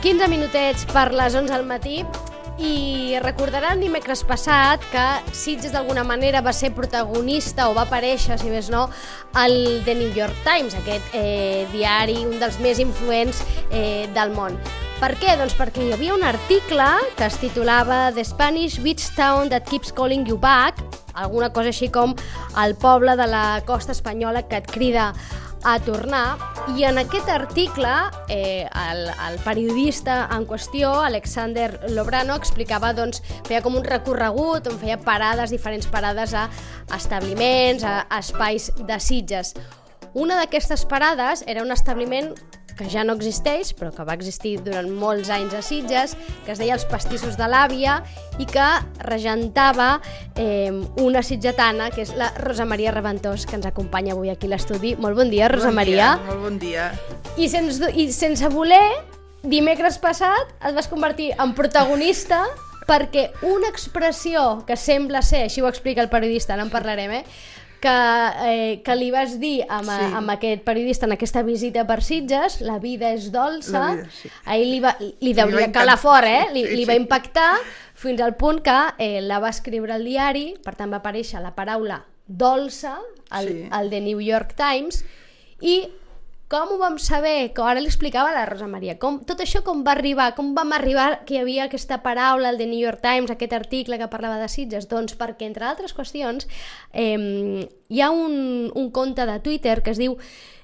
15 minutets per les 11 del matí i recordaran dimecres passat que Sitges d'alguna manera va ser protagonista o va aparèixer, si més no, al The New York Times, aquest diari, un dels més influents del món. Per què? Doncs perquè hi havia un article que es titulava The Spanish Beach Town That Keeps Calling You Back, alguna cosa així com el poble de la costa espanyola que et crida a tornar, i en aquest article el periodista en qüestió, Alexander Lobrano, explicava, doncs, feia com un recorregut on feia parades, diferents parades a establiments, a espais de Sitges. Una d'aquestes parades era un establiment que ja no existeix, però que va existir durant molts anys a Sitges, que es deia Els Pastissos de l'Àvia i que regentava una sitgetana, que és la Rosa Maria Reventós, que ens acompanya avui aquí a l'estudi. Molt bon dia, Rosa Maria. Molt bon dia. I sense voler, dimecres passat et vas convertir en protagonista perquè una expressió que sembla ser, així ho explica el periodista, no en parlarem, que li vas dir amb aquest periodista en aquesta visita per Sitges, la vida és dolça, ahir li deuria calar fort, li va impactar fins al punt que la va escriure al diari, per tant va aparèixer la paraula dolça al The New York Times. I com ho vam saber? Que ara li explicava a la Rosa Maria. Tot això com va arribar? Com vam arribar que hi havia aquesta paraula al The New York Times, aquest article que parlava de Sitges? Doncs perquè, entre altres qüestions, hi ha un compte de Twitter que es diu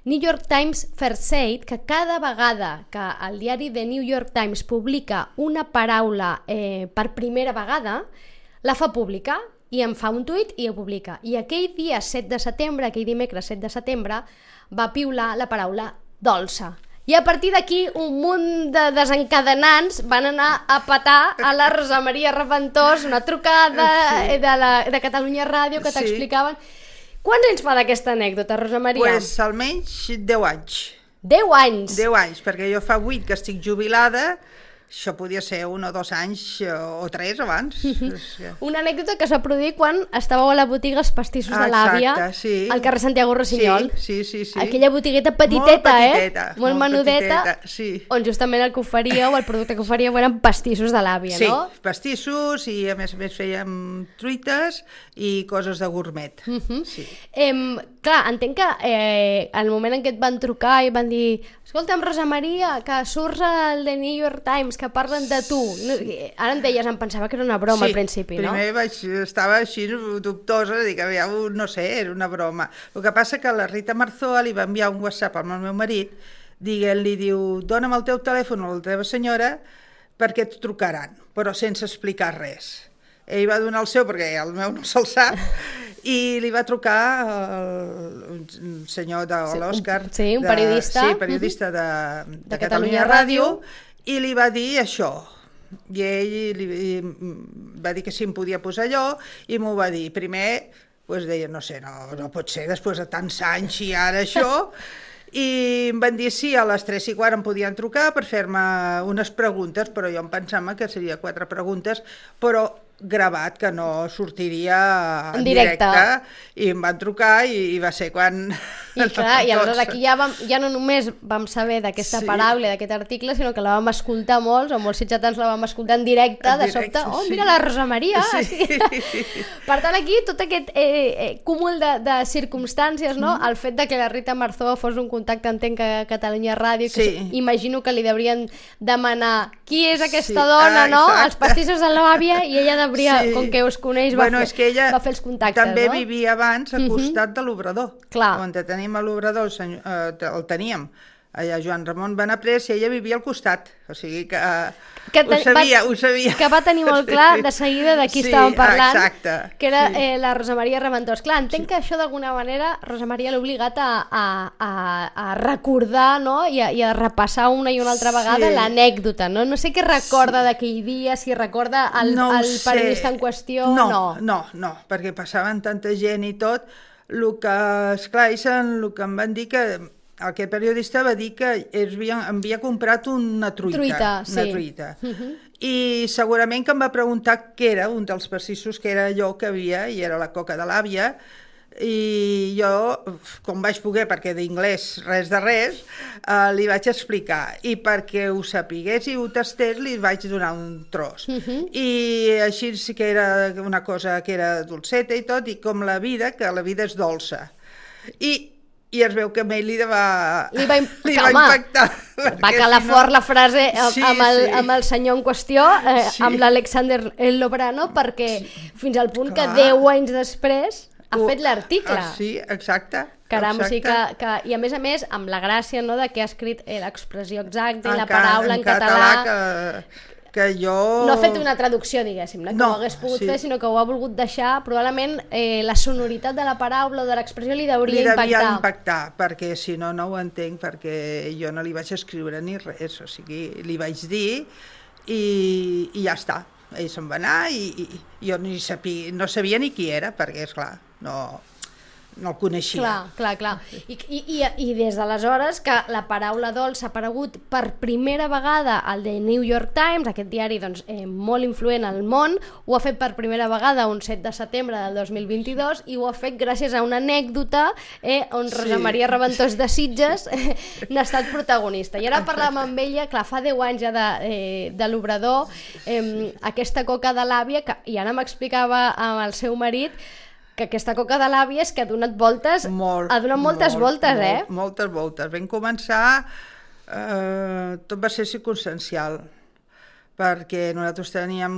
New York Times First Aid, que cada vegada que el diari The New York Times publica una paraula per primera vegada, la fa pública i en fa un tuit i ho publica. I aquell dia 7 de setembre, aquell dimecres 7 de setembre, va piular la paraula dolça. I a partir d'aquí un munt de desencadenants van anar a petar a la Rosa Maria Reventós, una trucada de Catalunya Ràdio que t'explicaven. Quants anys fa d'aquesta anècdota, Rosa Maria? Pues almenys 10 anys. 10 anys? 10 anys, perquè jo fa 8 que estic jubilada. Això podia ser 1 o 2 anys o 3 abans. Una anècdota que es va produir quan estàveu a la botiga Els Pastissos de l'Àvia, al carrer Santiago Rossinyol. Sí. Aquella botigueta petiteta, molt menudeta, on justament el que oferíeu, el producte que oferíeu eren pastissos de l'àvia, no? Sí, pastissos, i a més fèiem truites i coses de gourmet. Clar, entenc que en el moment en què et van trucar i van dir: escolta'm, Rosa Maria, que surts al The New York Times, que parlen de tu. Ara em deies, em pensava que era una broma al principi, no? Sí, primer estava així dubtosa, dic, no sé, era una broma. El que passa que la Rita Marzoa li va enviar un WhatsApp al meu marit, li diu: dona'm el teu telèfon a la teva senyora perquè et trucaran, però sense explicar res. Ell va donar el seu perquè el meu no se'l sap, i li va trucar un senyor de l'Òscar, un periodista, periodista de Catalunya Ràdio, i li va dir això. I ell li va dir que si em podia posar allò, i m'ho va dir. Primer, deia, no sé, no pot ser, després de tants anys i ara això. I em van dir sí, a les 3:15 em podien trucar per fer-me unes preguntes, però jo em pensava que seria 4 preguntes, però gravat, que no sortiria en directe, i em van trucar i va ser quan... I clar, i aleshores aquí ja no només vam saber d'aquesta paraula, d'aquest article, sinó que la vam escoltar molts, o molts sitgetans la vam escoltar en directe, de sobte, mira la Rosa Maria! Per tant, aquí tot aquest cúmul de circumstàncies, no? El fet de que la Rita Marzoa fos un contacte, entenc, a Catalunya Ràdio, que imagino que li deurien demanar qui és aquesta dona, no? Els pastissos de l'àvia, i ella com que us coneix, va fer els contactes, no? També vivia abans al costat de l'obrador. Clar. On tenim l'obrador, el teníem allà Joan Ramon Benaprés, i ella vivia al costat, o sigui que ho sabia. Que va tenir molt clar de seguida de qui estàvem parlant, que era la Rosa Maria Reventós. Clar, entenc que això d'alguna manera Rosa Maria l'ha obligat a recordar, no? I a repassar una i una altra vegada l'anècdota, no? No sé què recorda d'aquell dia, si recorda el periodista en qüestió o no. No, perquè passaven tanta gent i tot. El que em van dir que aquest periodista va dir que havia comprat una truita. I segurament que em va preguntar què era un dels pastissos, que era allò que havia, i era la coca de l'àvia, I jo, com vaig poder, perquè d'inglès res de res, li vaig explicar. I perquè ho sapigués i ho tastés, li vaig donar un tros. I així sí que era una cosa que era dolceta i tot, i com la vida, que la vida és dolça. I es veu que a ell li va impactar. Va calar fort la frase amb el senyor en qüestió, amb l'Alexander Lobrano, perquè fins al punt que 10 anys després ha fet l'article. Sí, exacte. Caram, o sigui que... I a més, amb la gràcia de que ha escrit l'expressió exacta i la paraula en català... que jo... No ha fet una traducció, diguéssim, que ho hagués pogut fer, sinó que ho ha volgut deixar. Probablement la sonoritat de la paraula o de l'expressió li devia impactar, perquè si no, no ho entenc, perquè jo no li vaig escriure ni res, o sigui, li vaig dir i ja està. Ell se'n va anar i jo no sabia ni qui era, perquè, esclar, no el coneixia. Clar. I des d'aleshores que la paraula dolç ha aparegut per primera vegada al The New York Times, aquest diari molt influent al món, ho ha fet per primera vegada un 7 de setembre del 2022 i ho ha fet gràcies a una anècdota on Rosa Maria Reventós de Sitges n'ha estat protagonista. I ara parlàvem amb ella, clar, fa 10 anys ja de l'Obrador, aquesta coca de l'àvia, i ara m'explicava amb el seu marit que aquesta coca de l'àvia és que ha donat voltes, moltes voltes. Moltes voltes. Vam començar, tot va ser circumstancial, perquè nosaltres teníem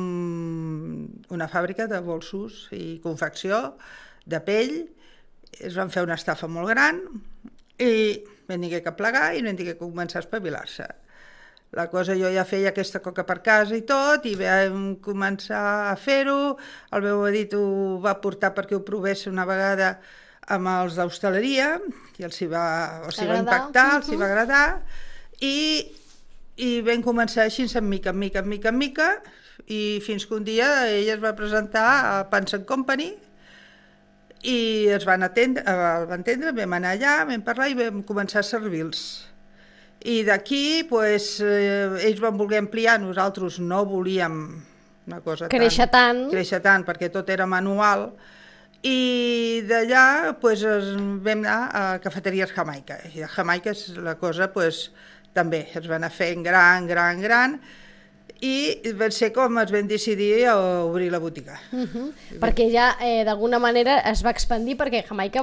una fàbrica de bolsos i confecció de pell, es van fer una estafa molt gran i vam haver que plegar i vam haver que començar a espavilar-se. La cosa, jo ja feia aquesta coca per casa i tot, i vam començar a fer-ho, el meu marit ho va portar perquè ho provés una vegada amb els d'hostaleria, i els hi va impactar, els hi va agradar, i vam començar així, en mica, i fins que un dia ella es va presentar a Pans & Company, i el van atendre, vam anar allà, vam parlar i vam començar a servir-los. I d'aquí, ells van voler ampliar, nosaltres no volíem una cosa créixer tant, perquè tot era manual, i d'allà vam anar a Cafeteries Jamaica, i a Jamaica la cosa també es va anar fent gran, i va ser com es vam decidir a obrir la botiga. Perquè ja d'alguna manera es va expandir, perquè Jamaica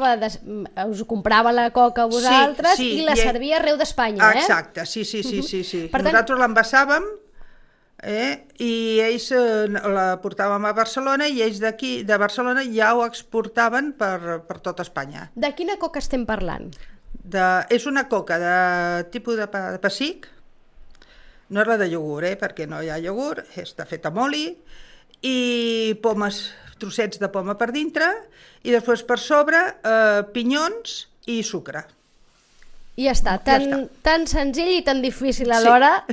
us comprava la coca a vosaltres i la servia arreu d'Espanya. Exacte, sí. Nosaltres l'envasàvem i ells la portàvem a Barcelona, i ells d'aquí, de Barcelona, ja ho exportaven per tot Espanya. De quina coca estem parlant? És una coca de tipus de pessic. No és la de iogurt, perquè no hi ha iogurt, està feta amb oli, i pomes, trossets de poma per dintre, i després per sobre pinyons i sucre. I ja està, tan senzill i tan difícil alhora,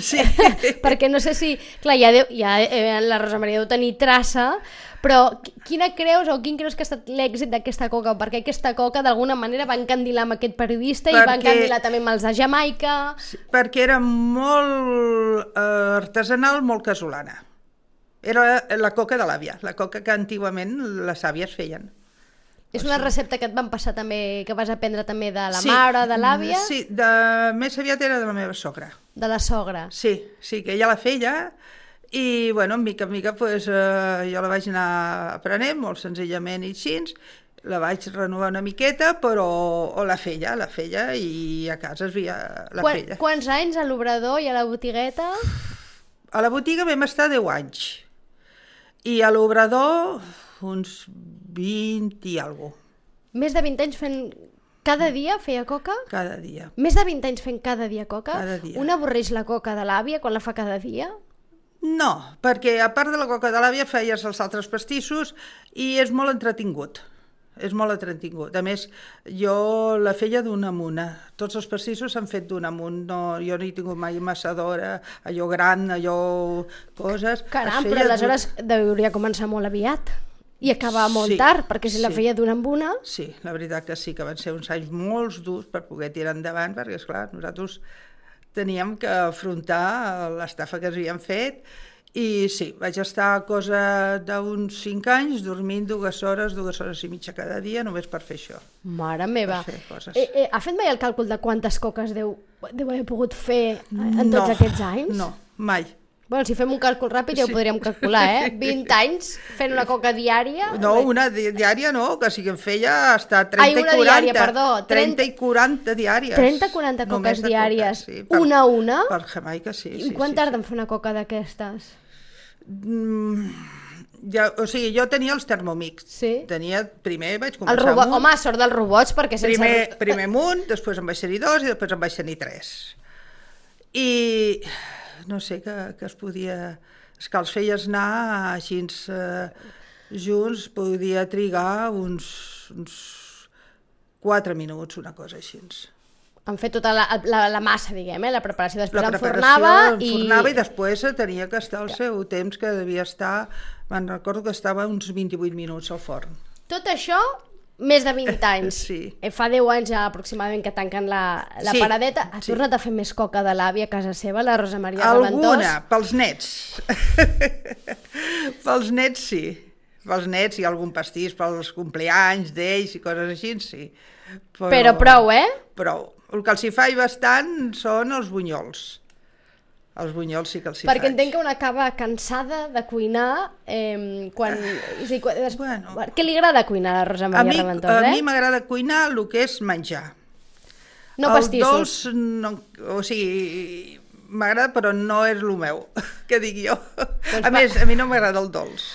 perquè no sé si... Clar, ja la Rosa Maria deu tenir traça, però quin creus que ha estat l'èxit d'aquesta coca? Perquè aquesta coca d'alguna manera va encandilar amb aquest periodista i va encandilar també amb els de Jamaica. Perquè era molt artesanal, molt casolana. Era la coca de l'àvia, la coca que antigament les àvies feien. És una recepta que et van passar també, que vas aprendre també de la mare, de l'àvia? Sí, més aviat era de la meva sogra. De la sogra? Sí, que ella la feia, i bueno, mica en mica jo la vaig anar aprenent, molt senzillament i així, la vaig renovar una miqueta, però la feia, i a casa es veia la feia. Quants anys a l'Obrador i a la botigueta? A la botiga vam estar 10 anys, i a l'Obrador uns 20 i alguna cosa. Més de 20 anys fent... Cada dia feia coca? Cada dia. Més de 20 anys fent cada dia coca? Cada dia. Un avorreix la coca de l'àvia quan la fa cada dia? No, perquè a part de la coca de l'àvia feies els altres pastissos i és molt entretingut. A més, jo la feia d'una en una. Tots els pastissos s'han fet d'una en un. No, jo no he tingut mai amassadora, allò gran, allò... coses. Caram, però aleshores hauria començar molt aviat. I acabar molt tard, perquè si la feia d'una en una... Sí, la veritat que sí, que van ser uns anys molt durs per poder tirar endavant, perquè, esclar, nosaltres teníem que afrontar l'estafa que ens havien fet I sí, vaig estar cosa d'uns 5 anys dormint 2 hores i mitja cada dia només per fer això. Mare meva. Per fer coses. Ha fet mai el càlcul de quantes coques deu haver pogut fer en tots aquests anys? No, mai. Bueno, si fem un càlcul ràpid ja ho podríem calcular, 20 anys fent una coca diària? No, una diària no, que sí que em feia hasta 30 i 40. Diària, perdó. 30 i 40 diàries. 30-40 coques diàries, sí, una a una? Per Jamaica, sí. I quant tarda en fer una coca d'aquestes? O sigui, jo tenia els Thermomix. Sí? Primer vaig començar amb un. Home, sort dels robots, perquè sense... Primer amb un, després en vaig tenir 2 i després en vaig tenir 3. I no sé que es podia... És que els feies anar així junts, podia trigar uns 4 minuts, una cosa així. Han fet tota la massa, diguem, la preparació. Després enfornava i després tenia que estar el seu temps, que devia estar... Me'n recordo que estava uns 28 minuts al forn. Tot això, més de 20 anys. Sí. Fa 10 anys ja aproximadament que tanquen la paradeta. Ha tornat a fer més coca de l'àvia a casa seva, la Rosa Maria Reventós? Alguna, pels nets. Pels nets, sí. Pels nets i algun pastís pels compleanys d'ells i coses així, sí. Però prou, Prou. El que els hi faig bastant són els bunyols. Els bunyols sí que els hi faig. Perquè entenc que una acaba cansada de cuinar quan... Què li agrada cuinar a la Rosa Maria Reventós? A mi m'agrada cuinar el que és menjar. No pastissos. El dolç, no, o sigui, m'agrada però no és el meu, que dic jo. A més, a mi no m'agrada el dolç.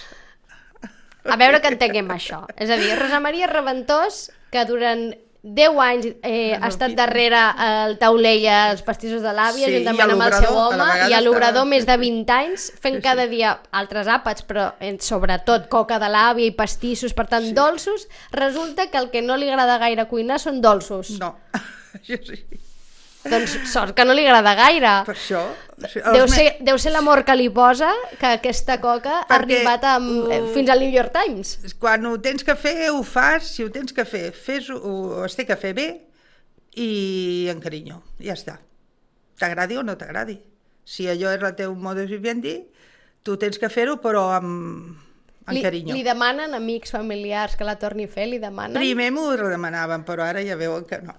A veure que entenguem això. És a dir, Rosa Maria Reventós, que durant 10 anys ha estat darrere el taulell als pastissos de l'àvia, juntament amb el seu home, i a l'obrador més de 20 anys, fent cada dia altres àpats, però sobretot coca de l'àvia i pastissos, per tant, dolços. Resulta que el que no li agrada gaire cuinar són dolços. No, això sí. Doncs sort que no li agrada gaire. Per això. Deu ser l'amor que li posa que aquesta coca ha arribat fins al New York Times. Quan ho tens que fer, ho fas. Si ho tens que fer, es té que fer bé i amb carinyo. Ja està. T'agradi o no t'agradi. Si allò és el teu modus vivendi, tu tens que fer-ho, però amb carinyo. Li demanen amics, familiars que la torni a fer? Li demanen? Primer m'ho demanaven, però ara ja veuen que no.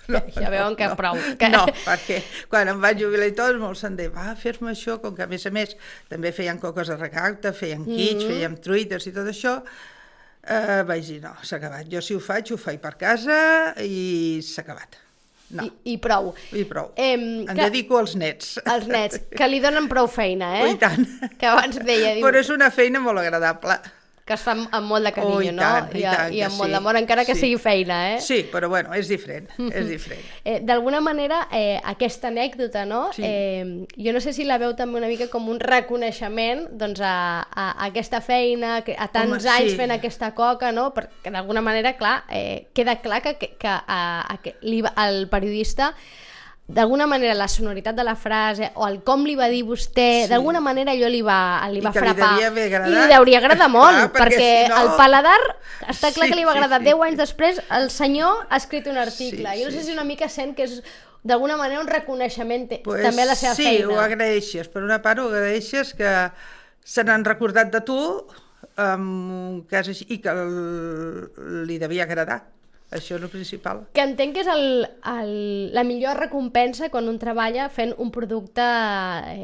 Ja veuen que prou. No, perquè quan em vaig jubilar i tot, molt se'n deia, va, fes-me això, com que a més també feien coques de recapte, feien quits, feien truites i tot això, vaig dir, no, s'ha acabat. Jo si ho faig per casa i s'ha acabat. No. I prou. I prou. Em dedico als nets. Als nets, que li donen prou feina, I tant. Que abans deia... Però és una feina molt agradable. Que es fa amb molt de carinyo, no? I amb molt d'amor, encara que sigui feina, Sí, però bueno, és diferent, és diferent. D'alguna manera, aquesta anècdota, no? Sí. Jo no sé si la veu també una mica com un reconeixement doncs, a aquesta feina, a tants anys fent aquesta coca, no? Perquè d'alguna manera, clar, queda clar que el periodista, d'alguna manera la sonoritat de la frase o el com li va dir vostè, d'alguna manera allò li va frapar. I li hauria agradat molt, perquè el paladar està clar que li va agradar. 10 anys després el senyor ha escrit un article. Jo no sé si una mica sent que és d'alguna manera un reconeixement també a la seva feina. Sí, ho agraeixes. Per una part ho agraeixes que se n'han recordat de tu i que li devia agradar. Això és el principal. Que entenc que és la millor recompensa quan un treballa fent un producte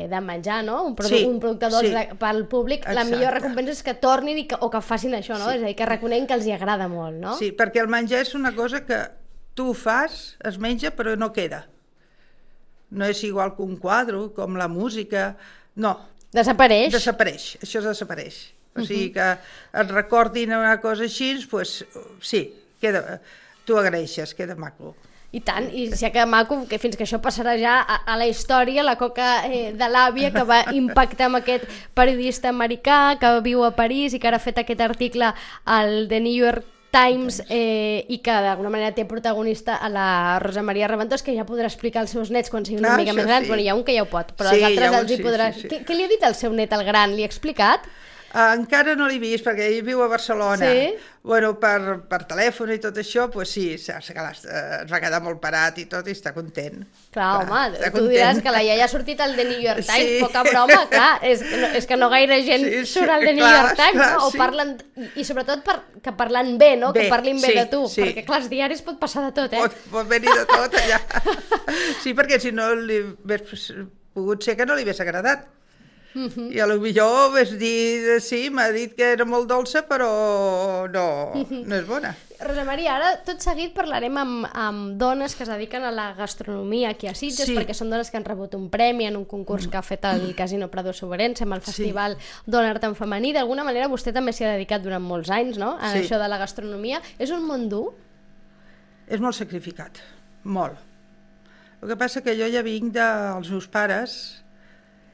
de menjar, no? Un producte dolç pel públic. La millor recompensa és que tornin o que facin això, no? És a dir, que reconeguin que els hi agrada molt, no? Sí, perquè el menjar és una cosa que tu fas, es menja, però no queda. No és igual que un quadre, com la música... No. Desapareix. Desapareix, això desapareix. O sigui que et recordin una cosa així, doncs sí, tu agraeixes, queda maco. I tant, i si queda maco, que fins que això passarà ja a la història, la coca de l'àvia que va impactar amb aquest periodista americà que viu a París i que ara ha fet aquest article al The New York Times i que d'alguna manera té protagonista a la Rosa Maria Reventós, que ja podrà explicar als seus nets quan sigui una mica més gran. Bueno, hi ha un que ja ho pot, però els altres els hi podrà... Què li ha dit el seu net, el gran? Li ha explicat? Encara no l'he vist, perquè ell viu a Barcelona. Sí? Bueno, per telèfon i tot això, doncs sí, ens va quedar molt parat i tot, i està content. Clar, home, està tu diràs que la iaia ha sortit al The New York Times, poca broma, clar, és que no gaire gent surt al The New York Times, no? O parlen, i sobretot que parlen bé, no? Que parlin bé de tu, perquè clar, els diaris pot passar de tot, Pot venir de tot allà. Sí, perquè si no li hagués pogut ser que no li hagués agradat. I a lo millor vas dir, sí, m'ha dit que era molt dolça, però no és bona. Rosa Maria, ara tot seguit parlarem amb dones que es dediquen a la gastronomia aquí a Sitges, perquè són dones que han rebut un premi en un concurs que ha fet el Casino Prado Soberense amb el festival Dona Art en Femení. D'alguna manera vostè també s'hi ha dedicat durant molts anys, no?, a això de la gastronomia. És un món dur? És molt sacrificat, molt. El que passa que jo ja vinc dels meus pares,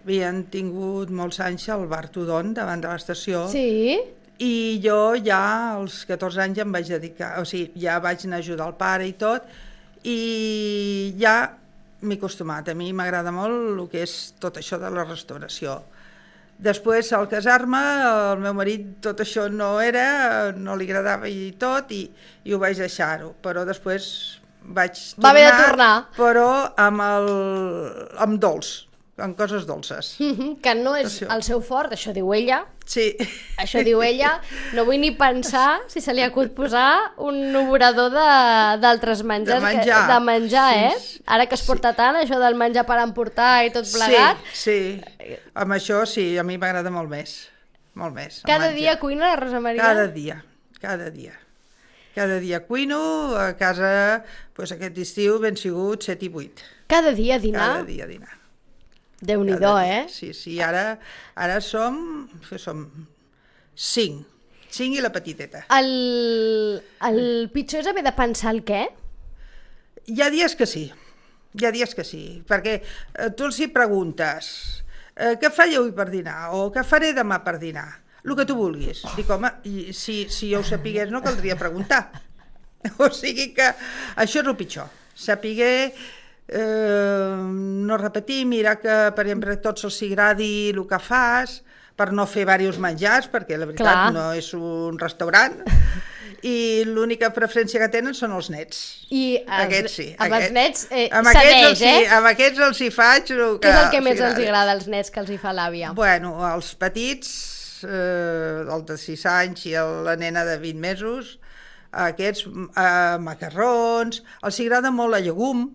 havien tingut molts anys al bar Tudon davant de l'estació. Sí. I jo ja als 14 anys em vaig dedicar, o sigui, ja vaig anar a ajudar el pare i tot, i ja m'he acostumat. A mi m'agrada molt el que és tot això de la restauració. Després, al casar-me, el meu marit tot això no li agradava i tot, i ho vaig deixar-ho. Però després vaig tornar... Va haver de tornar. Però amb dolç, amb coses dolces. Que no és el seu fort, això diu ella. Sí. Això diu ella. No vull ni pensar si se li acut posar un obrador d'altres menjars. De menjar, sí. Ara que es porta tant, això del menjar per emportar i tot plegat. Sí. Amb això sí, a mi m'agrada molt més. Molt més. Cada dia cuina la Rosa Maria? Cada dia cuino, a casa, doncs aquest estiu ben sigut 7 i 8. Cada dia a dinar? Cada dia a dinar. Déu-n'hi-do, Sí, ara som 5 i la petiteta. El pitjor és haver de pensar el què? Hi ha dies que sí, perquè tu els hi preguntes què faré avui per dinar o què faré demà per dinar, el que tu vulguis. Dic, home, si jo ho sapigués no caldria preguntar. O sigui que això és el pitjor, sapiguer... no repetir, mirar que per exemple tots els agradi el que fas, per no fer diversos menjars, perquè la veritat no és un restaurant, i l'única preferència que tenen són els nets. I aquests sí. Amb els nets cedeix, amb aquests els hi faig el que... Què és el que més els agrada als nets que els hi fa l'àvia? Bueno, els petits, el de 6 anys i la nena de 20 mesos, aquests macarrons, els agrada molt la llegum,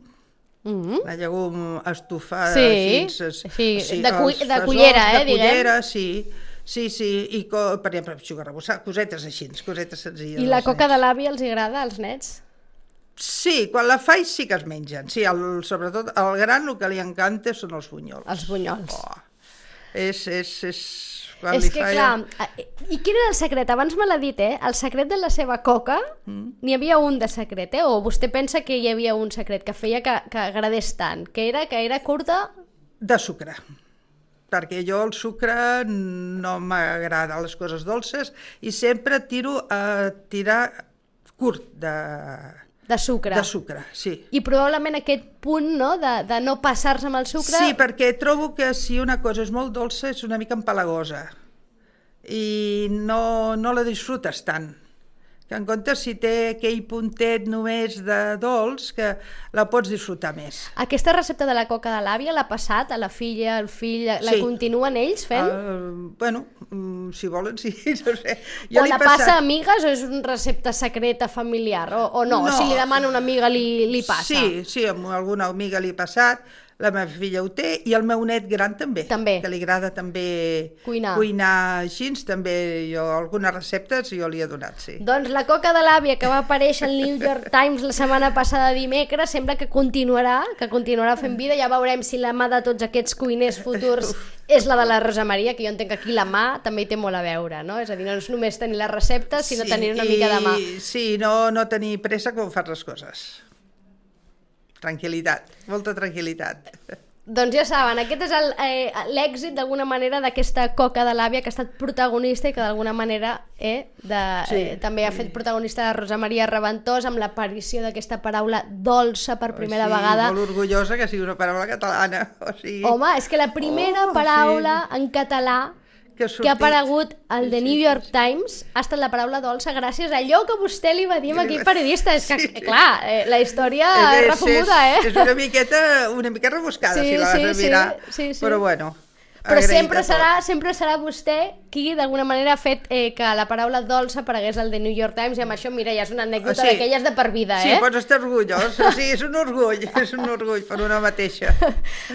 la llegum estufada fins... de cullera, de diguem. Cullera, sí, i per exemple, cosetes així, cosetes senzilles. I la coca de l'àvia els agrada als nets? Sí, quan la faig sí que es mengen, sí, sobretot al gran el que li encanta són els bunyols. Els bunyols. És que clar, i quin era el secret? Abans me l'ha dit, el secret de la seva coca, n'hi havia un de secret, o vostè pensa que hi havia un secret que feia que agradés tant, que era curta? De sucre, perquè jo el sucre no m'agrada les coses dolces i sempre tiro a tirar curt de sucre. De sucre, sí. I probablement aquest punt, no?, de no passar-se amb el sucre... Sí, perquè trobo que si una cosa és molt dolça és una mica empalagosa i no la disfrutes tant. Que en comptes si té aquell puntet només de dolç que la pots disfrutar més. Aquesta recepta de la coca de l'àvia l'ha passat a la filla, al fill, la continuen ells fent? Bueno, si volen, sí, no sé. O la passa a amigues o és una recepta secreta familiar o no? Si li demana una amiga li passa? Sí, amb alguna amiga li ha passat, la meva filla ho té i el meu net gran també. Que li agrada també cuinar així, també jo algunes receptes jo li he donat, sí. Doncs la coca de l'àvia que va aparèixer al New York Times la setmana passada dimecres sembla que continuarà fent vida. Ja veurem si la mà de tots aquests cuiners futurs és la de la Rosa Maria, que jo entenc que aquí la mà també hi té molt a veure, no? És a dir, no és només tenir les receptes, sinó tenir una mica de mà. Sí, no tenir pressa com fas les coses. Tranquil·litat, molta tranquil·litat. Doncs ja saben, aquest és l'èxit d'alguna manera d'aquesta coca de l'àvia que ha estat protagonista i que d'alguna manera també ha fet protagonista de Rosa Maria Raventós amb l'aparició d'aquesta paraula dolça per primera vegada. Molt orgullosa que sigui una paraula catalana. Home, és que la primera paraula en català que ha aparegut al The New York Times ha estat la paraula dolça gràcies a allò que vostè li va dir a aquell periodista. És que, clar, la història és refomuda, És una mica rebuscada, si la vas a mirar. Però bueno... Però sempre serà vostè qui d'alguna manera ha fet que la paraula dolça aparegués al The New York Times, i amb això, mira, ja és una anècdota d'aquelles de per vida, Sí, pots estar orgullós, és un orgull per una mateixa.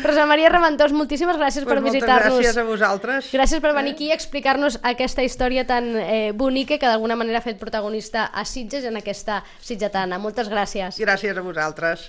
Rosa Maria Raventós, moltíssimes gràcies per visitar-nos. Moltes gràcies a vosaltres. Gràcies per venir aquí i explicar-nos aquesta història tan bonica que d'alguna manera ha fet protagonista a Sitges en aquesta sitgetana. Moltes gràcies. Gràcies a vosaltres.